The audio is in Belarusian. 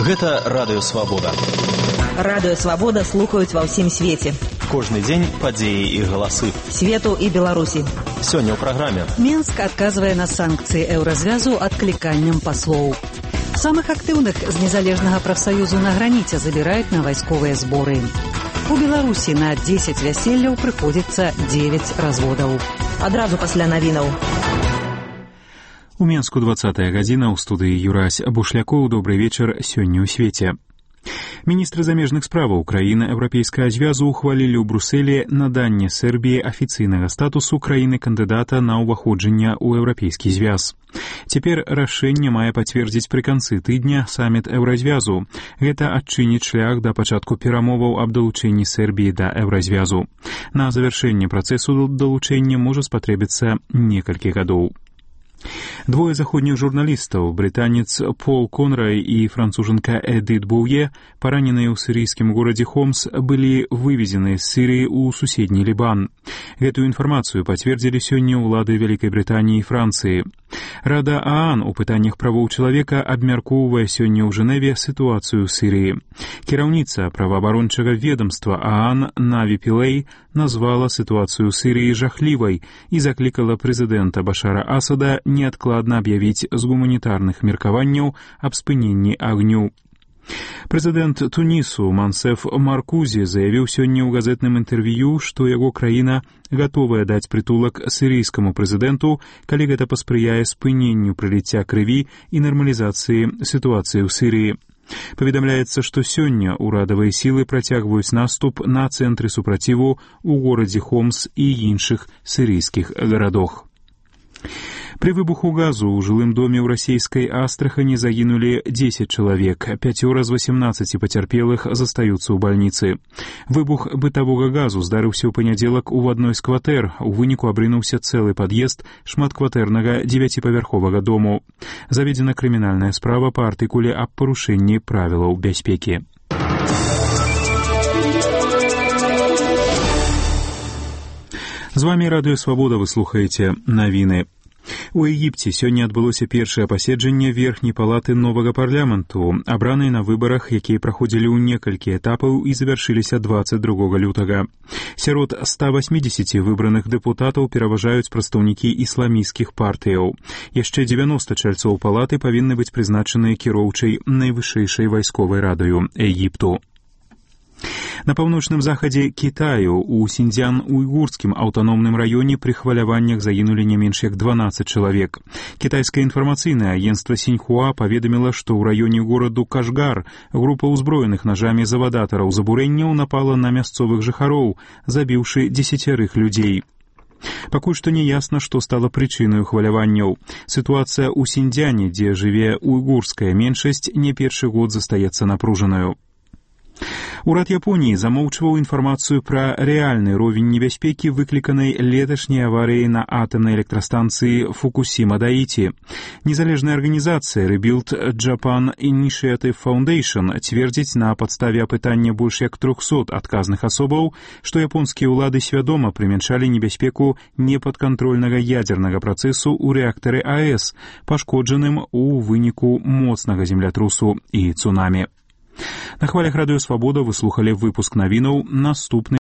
Гэта Радыё Свабода. Радыё Свабода слухаюць ва ўсім свеце. Кожны дзень падзеі і галасы. Свету і Беларусі. Сёння ў праграме. Мінск адказвае на санкцыі Еўразвязу адкліканнем паслоў. Самых актыўных з незалежнага прафсаюзу на граніце забіраюць на вайсковыя зборы. У Беларусі на 10 вяселляў прыходзіцца 9 разводаў. Адразу пасля навінаў. У Менску 20-я гадзіна, ў студыі Юрась Бушлякоў. Добрый вечар, сёння ў свеце. Міністры замежных справаў краіны Еўрапейскага звязу ухвалілі ў Брусэлі наданне Сербіі афіцыйнага статусу краіны-кандыдата на ўваходжанне ў Еўрапейскі звяз. Цяпер рашэнне мае пацвердзіць пры канцы тыдня саміт Еўразвязу. Гэта адчыніць шлях да пачатку перамоваў аб далучэнні Сербіі да Еўразвязу. На завяршэнне працэсу далучэння можа спатрэбіцца некалькі гадоў. Двое заходніх журналістаў, брытанец Пол Конрай і францужанка Эдит Боуе, параненыя ў сірыйскім горадзе Хомс, былі вывезены з Сірыі ў суседні Лібан. Гэтую інфармацыю пацвердзілі сёння ўлады Вялікай Брытаніі і Францыі. Рада ААН у пытаннях правоў чалавека абмяркоўвае сёння ў Жэневе сітуацыю ў Сірыі. Кіраўніца праваабарончага ведамства ААН Наві Пілэй назвала сітуацыю ў Сірыі жахлівай і заклікала прэзідэнта Башара Асада неадкладна аб'явіць з гуманітарных меркаванняў аб спыненні агню. Прэзідэнт Тунісу Мансеф Маркузі заявіў сёння ў газетным інтэрв'ю, што яго краіна гатовая даць прытулак сірыйскаму прэзідэнту, калі гэта паспрыяе спыненню прыліцця крыві і нармалізацыі сітуацыі ў Сірыі. Паведамляецца, што сёння ўрадавыя сілы працягваюць наступ на цэнтры супраціву ў горадзе Хомс і іншых сірыйскіх гарадах. Пры выбуху газу ў жылым доме ў расійскай Астрахані загінулі 10 чалавек, 5 з 18 пацярпелых застаюцца ў бальніцы. Выбух бытавога газу здарыўся ў панядзелак у адной з кватэр, у выніку абрынуўся цэлы пад'езд шматкватэрнага 9павярховага дому. Заведзена крымінальная справа па артыкуле аб парушэнні правілаў бяспекі. З вамі Радыё Свабода, вы слухаеце навіны. У Егіпце сёння адбылося першае паседжанне верхняй палаты новага парламенту, абранай на выбарах, якія праходзілі ў некалькі этапаў і завяршыліся 22 лютага. Сярод 180 выбраных дэпутатаў пераважаюць прадстаўнікі ісламісцкіх партыяў. Яшчэ 90 чальцоў палаты павінны быць прызначаныя кіроўчай найвышэйшай вайсковай радаю Егіпту. На паўночным захадзе Кітаю у Сіньцзян-Уйгурскім аўтаномным раёне пры хваляваннях загінулі не менш як 12 чалавек. Кітайскае інфармацыйнае агенцтва Сіньхуа паведаміла, што ў раёне гораду Кашгар група ўзброеных нажамі завадатараў забурэнняў напала на мясцовых жыхароў, забіўшы 10 людзей. Пакуль што не ясна, што стала прычынаю хваляванняў. Сітуацыя ў Сіньцзяне, дзе жыве уйгурская меншасць, не першы год застаецца напружанаю. Урад Японіі замоўчваў інфармацыю пра рэальны ровень небяспекі, выкліканай леташняй аварыяй на атамнай электрастанцыі Фукусіма-Даіці. Незалежная арганізацыя Rebuild Japan Initiative Foundation цвердзіць на падставе апытання больш як 300 адказных асобаў, што японскія ўлады свядома прымяншалі небяспеку непадкантрольнага ядзернага працэсу ў рэактары АЭС, пашкоджаным у выніку моцнага землятрусу і цунамі. На хвалях Радыё Свабода вы слухалі выпуск навінаў. Наступны